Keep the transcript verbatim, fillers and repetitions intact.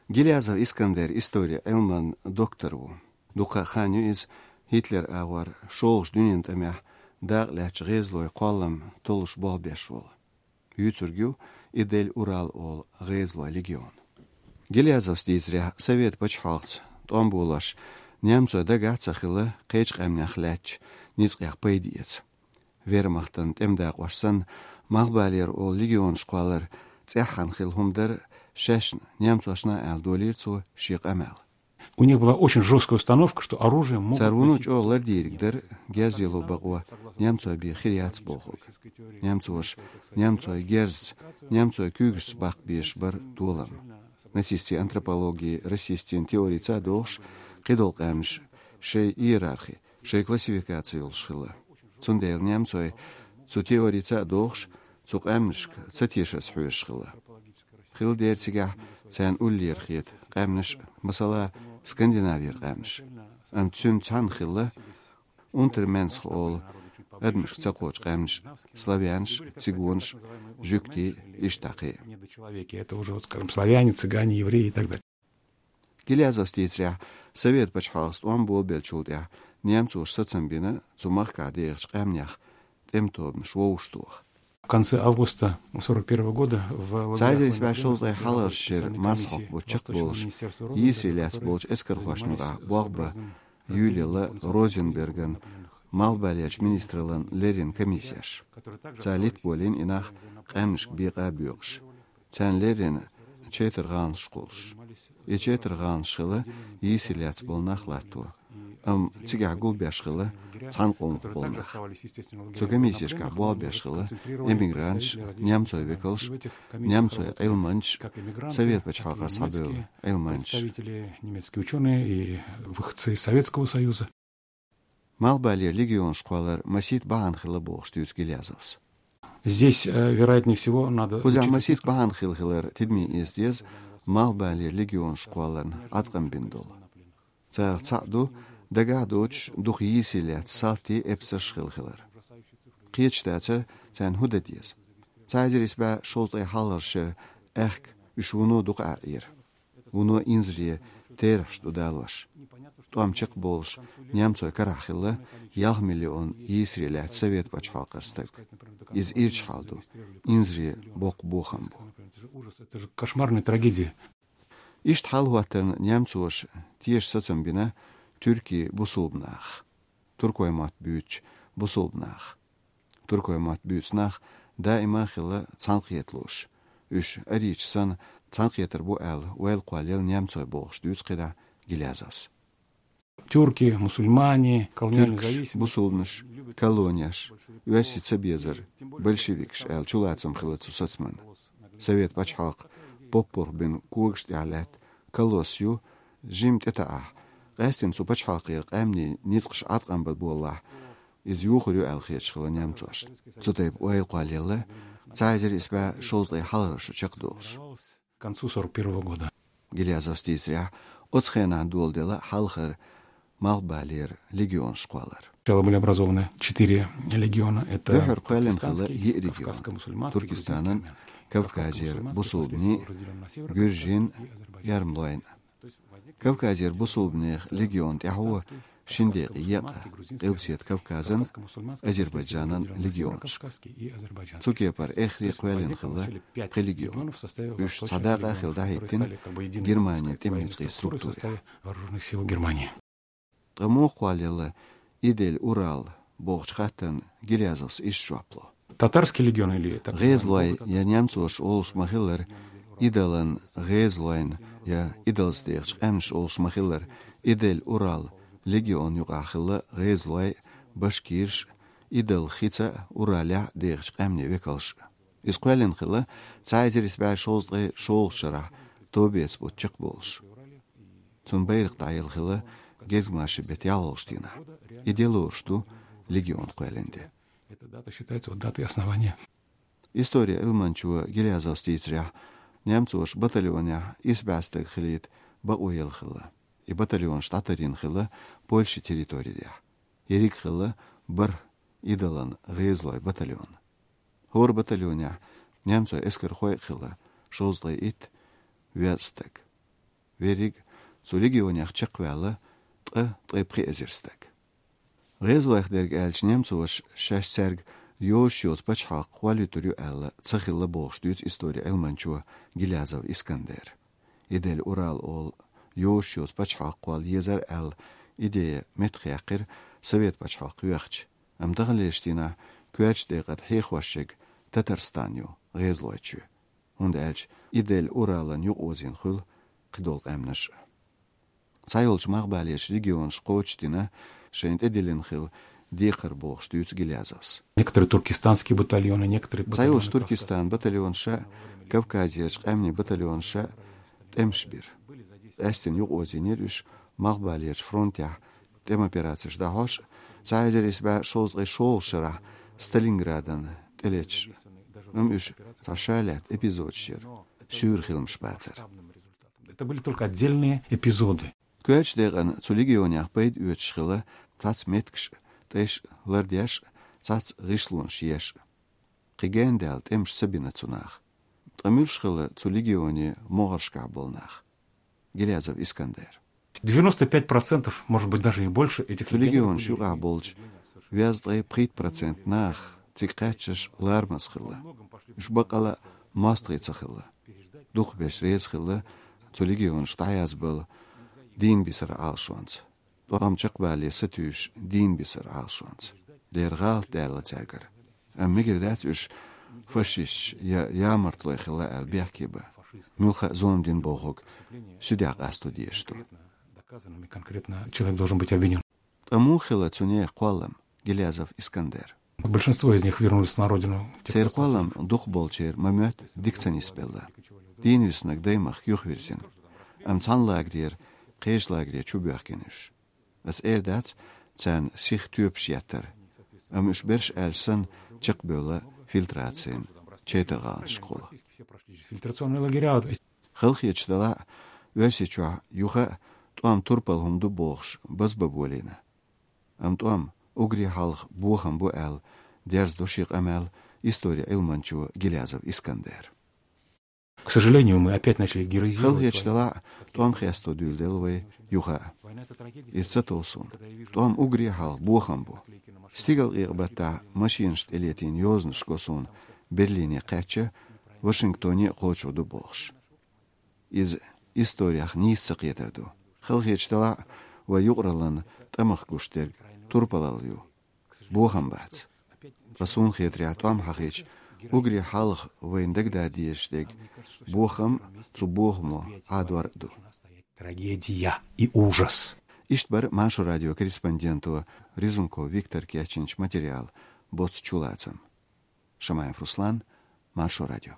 Гилязов Искандер история Ӏилман доктор ву. Дукха хан ю иза Гитлер агӀор шолгӀачу дуьненан тӀамехь дакъа лаьттачу гӀезалойн кхоллам толлуш болх беш волу. Юьйцург ю Идель-Урал олу гӀезалойн легион. Гилязовс дийцарехь, Совет пачхьалкхаца тӀом болош немцойн дагахь а ца хилла кхечу къаьмнех лаьттачу ницкъех пайда эца. Вермахтан тӀеман дакъош санна, Малхбалера олу легионаш кхоллар цӀеххьана хилла хӀума дара, шаьшна немцошна аьлла долийра цо шен къамел. У них была очень жёсткая установка, что оружие могут... Цара вуно носить чӀогӀа лардийриг дара, герз яло бакъо немцойн бен хир яц бохург. Немцоша немцойн герзаца, немцойн куьйгашца баккха безаш бара толам. Нацистийн антропологи, расистийн теорица а догӀуш, кхидолу къаьмнаш шайн иерархи, шайн классификаци йолуш хилла. Цундела немцой цу теорица а догӀуш, цу къаьмнашка ца тешарца хьоьжуш хилла. Хилла дера цигахь царна уллера хета къаьмнаш, масала, Скандинавера къаьмнаш. Амма цуьнца цхьаьна хилла Унтерменсха олу адамашка ца кхочу къаьмнаш: славянаш, цигонаш, жуьгтий, иштта кхин. Недочеловеки. Это уже, вот, скажем, славяне, цыгане, евреи и так далее. Гилязовс дийцарехь, Совет пачхьалкхаца тӀом болабеллачул тӀаьхьа немцоша сацам бина цу махкахь дехачу къаьмнех тӀеман тобанаш вовшахтоха. В конце августа сорок первого года в... Цхьа эзар исс бӀе шовзткъе хьалхарчу шеран марсхьокху бутт чекхболуш, йийсаре лаьцна болчу эскархошна юкъахь болх бан юьйлаелла Розенберган, Малхбалерчу министраллан леррина комиссеш. Цара литта болийна и нах къаьмнашка бекъа а боькъуш. Царна леррина четар гӀаланаш кхуллуш. И четар гӀаланаш хилла йийсаре лаьцна болу нах латто. Амма цигахь гулбеш хилла цхьана къомах болу нах. Цу комиссешкахь болх беш хилла эмигранташ, немцойн векалш, немцойн Ӏилманчаш, Совет пачхьалкхера схьабевлла Ӏилманчаш. Представители, немецкие учёные и выходцы из Советского Союза. Малхбалера легионаш кхоллар масийтта бахьана хилла бохуш дуьйцу Гилязовс. Здесь, э, вероятнее всего, надо учитывать несколько... Кхузахь масийтта бахьана хилла хилар тидаме эца деза Малхбалера легионаш кхолларна Ӏаткъам бина долу. Царах цхьаъ ду дагахь а доцуш дукха йийсаре лаьцна салтий, эпсарш хилла хилар. Кхеташ дацара, царна хӀун дан деза. Цхьа эзар исс бӀе шовзткъе хьалхарчу шеран аьхка уьш вуно дукха Ӏаьхьира. Вуно инзаре, терахьаш ду далош. ТӀом чекхболуш немцойн карахь хилла ялх миллион йийсаре лаьцна Совет пачхьалкхера стаг. Иза ирча хьал ду, инзаре боккха бохам бу. Это же ужас, это же кошмарная трагедия. Иштта хьал хӀоттарна немцоша теша сацам бина туьркийн бусулба нахах, туркойн мотт буьйцучу бусулба нахах. Туркойн мотт буьйцу нах даима а хилла цхьаьнакхеталуш. Уьш арийча санна цхьаьнакхетар бу аьлла, ойла кхоллаелла немцой бохуш дуьйцу кхидӀа Гилязовс. Тюрки, мусульмане, колониальная... Туьркаш, зависимость, бусулбанаш, колонеш, оьрсийн цабезар, большевикаш аьлла чулацам хилла цу сацаман. Совет пачхьалкх поппарх бина когаш тӀехь лаьтта колосс ю, жимма тӀетаӀахь, къаьстина цу пачхьалкхера къаьмнийн ницкъаш Ӏаткъам бан боллахь, иза юхур ю аьлла хеташ хилла немцошна. Цу тайпа ойла кхоллаелла цхьа эзар исс бӀе шовзткъе хьалхарчу шеран чекхдолуш. К концу сорок первого года. Гилязовс дийцарехь, оцу хенахь доладелла хьалхара Малхбалера легионаш кхоллар. Сначала были образованы четыре легиона. Это... Дуьххьара кхоьллина хилла йиъ легион: кавказско-мусульманский, грузинский, армянский. Туркестанан, Кавказера бусулбанийн, гуьржийн, эрмалойн. Кавказера бусулбанех легион тӀаьхьо шина декъе екъна Къилбаседа Кавказан, Азербайджанан легионашка. Цу кепара эххар а кхоьллина хилла пхи легион. Уьш цхьа дакъа а хилла дӀахӀиттина Германин тӀеман ницкъийн структурехь. Вооружённых сил Германии. Ткъа муха кхоллаелла Идель-Урал бохучу хаттарна Гилязовс иштта жоп ло. Татарский легион или так называемый... ГӀезалой я немцоша олуш ма-хиллара, Идалан гӀезалойн я Идалца дехачу къаьмнаша олуш ма-хиллара, Идель-Урал легион юкъахь хилла гӀезалой, башкираш, Идал хица а, Уралехь а дехачу къаьмнийн векалш. Иза кхоьллина хилла цхьа эзар исс бӀе шовзткъе шолгӀачу шарахь, товбеца бутт чекхболуш. Цунна байракх дӀаелла хилла гезгмашин беттан ялхолгӀачу дийнахь. И де лоруш ду легион кхоьллина де. Эта дата считается вот датой основания. Историн Ӏилманчо Гилязовс дийцарехь, немцоша батальонехь исс бӀе стаг хилийта бакъо елла хилла. И батальонаш дӀатарйина хилла Польшин территориехь. Ерриг хилла бархӀ Идалан гӀезалойн батальон. ХӀора батальонехь немцойн эскархой а хилла шовзткъе итт веза стаг. Верриг цу легионех чекхваьлла ткъа, ткъе пхи эзар стаг. ГӀезалойх дерг аьлча, немцоша шаьш цаьрга йозуш йоцу пачхьалкх кхоллуьйтур ю аьлла ца хилла бохуш дуьйцу истори Ӏилманчо Гилязов Искандера. Идель-Урал олу йозуш йоцу пачхьалкх кхолла езар аьлла идея меттахъяьккхира Совет пачхьалкх йоьхча, амма таханлерчу дийнахь коьртачу декъа тӀе хьехош ерг Татарстан ю, ГӀезалойчоь. ХӀунда аьлча Идель-Уралан юкъаозийна хуьлу кхидолу къаьмнаш а. Цхьайолчу малхбалерчу регионаша кхочушдина шайна тӀедиллина хилла декхар бохуш дуьйцу Гилязовс. Некоторые туркестанские батальоны, некоторые Цхьайолчу батальоны Туркестан батальонаша, Кавказерчу къаьмнийн батальонаша тӀемаш бира. Къаьстина юкъаозийнера уьш малхбалерчу фронтехь тӀеман операцеш дӀахьош, цхьа эзар исс бӀе шовзткъе шолгӀачу шарахь Сталинградан тӀелеташ. Амма уьш цхьа ша лаьтта эпизодаш яра, шуьйра хиламаш бацара. Это были только отдельные эпизоды. Коьртачу декъана цу легионех пайда оьцуш хилла цхьацца меттигаш, тӀеш лардеш, цхьацца гӀишлонаш еш. Кхин гендаьлла тӀемаш ца бина цу наха. Ткъа муьлш хилла цу легионе могӀаршкахь болу нах? Гилязов Искандер. Девяносто пять процентов, может быть, даже и больше этих Цу легионеров легионаш были юкъахь болчу везткъе пхийтта процент нах цига кхаьччаш ларамаза хилла. Уьш баккъала мостагӀий ца хилла. Дукхахберш реза хилла цу легионашка дӀаязбала дийна бисара Ӏалашонца. ТӀом чекхбале сатуьйсуш дийна бисара Ӏалашонца. Дера гӀалат даьлла цаьргара. Амма мегар дац уьш фашисташ я ямартлой хилла аьлла бехке бан. Муьлхха а зулам дина бохург суьдехь къасто дезаш ду. Доказанными конкретно человек должен быть обвинён. Ткъа муха хилла цу нехан кхоллам, Гилязов Искандер? Большинство из них вернулись на родину. Церан кхоллам дукхахболчеран ма-моьтту дика ца нисбелла. Дийна виснарг даймахка юхавирзина. Амма цхьана лагерера кхечу лагере чу боьхкина уьш. Ас эр дац царна сиха тоьпаш еттар, амма уьш берш аьлча санна чекхбевлла фильтрацин чайтаргӀаланашкахула. Фильтрационные лагеря. Халахеташ делахь а, Оьрсийчохь юха а тӀом турпала хӀума ду бохуш базбан болийна. Амма тӀом уггаре хьалха бохам бу аьлла дерзадо шен къамел истори Ӏилманчо Гилязов Искандера. К сожалению, мы опять начали героизировать. Халахеташ делахь а, тӀом хесто дуьйладелла вай юха а. Иза ца тов суна. ТӀом уггаре хьалха бохам бу. Стигалкъекъа-баттахь машинашна тӀелетийна йозанаш го суна Берлине кхаьчча, Вашингтоне а кхочур ду бохуш. Иза историх нийса ца кхетар ду. Халахеташ делахь а, вай юкъараллин тӀамах гуш дерг турпалалла ю. Бохам бац. Ткъа суна хетарехь, тӀом хьахийча, уггаре хьалха вайна дагадан дезаш дерг бохам, цу бохамо Ӏадор а ду. Трагедия и ужас. Иштта бара Маршо радион корреспонденто Резунков Виктора кечйинчу материалан боцу чулацам. Шамаев Руслан, Маршо радио.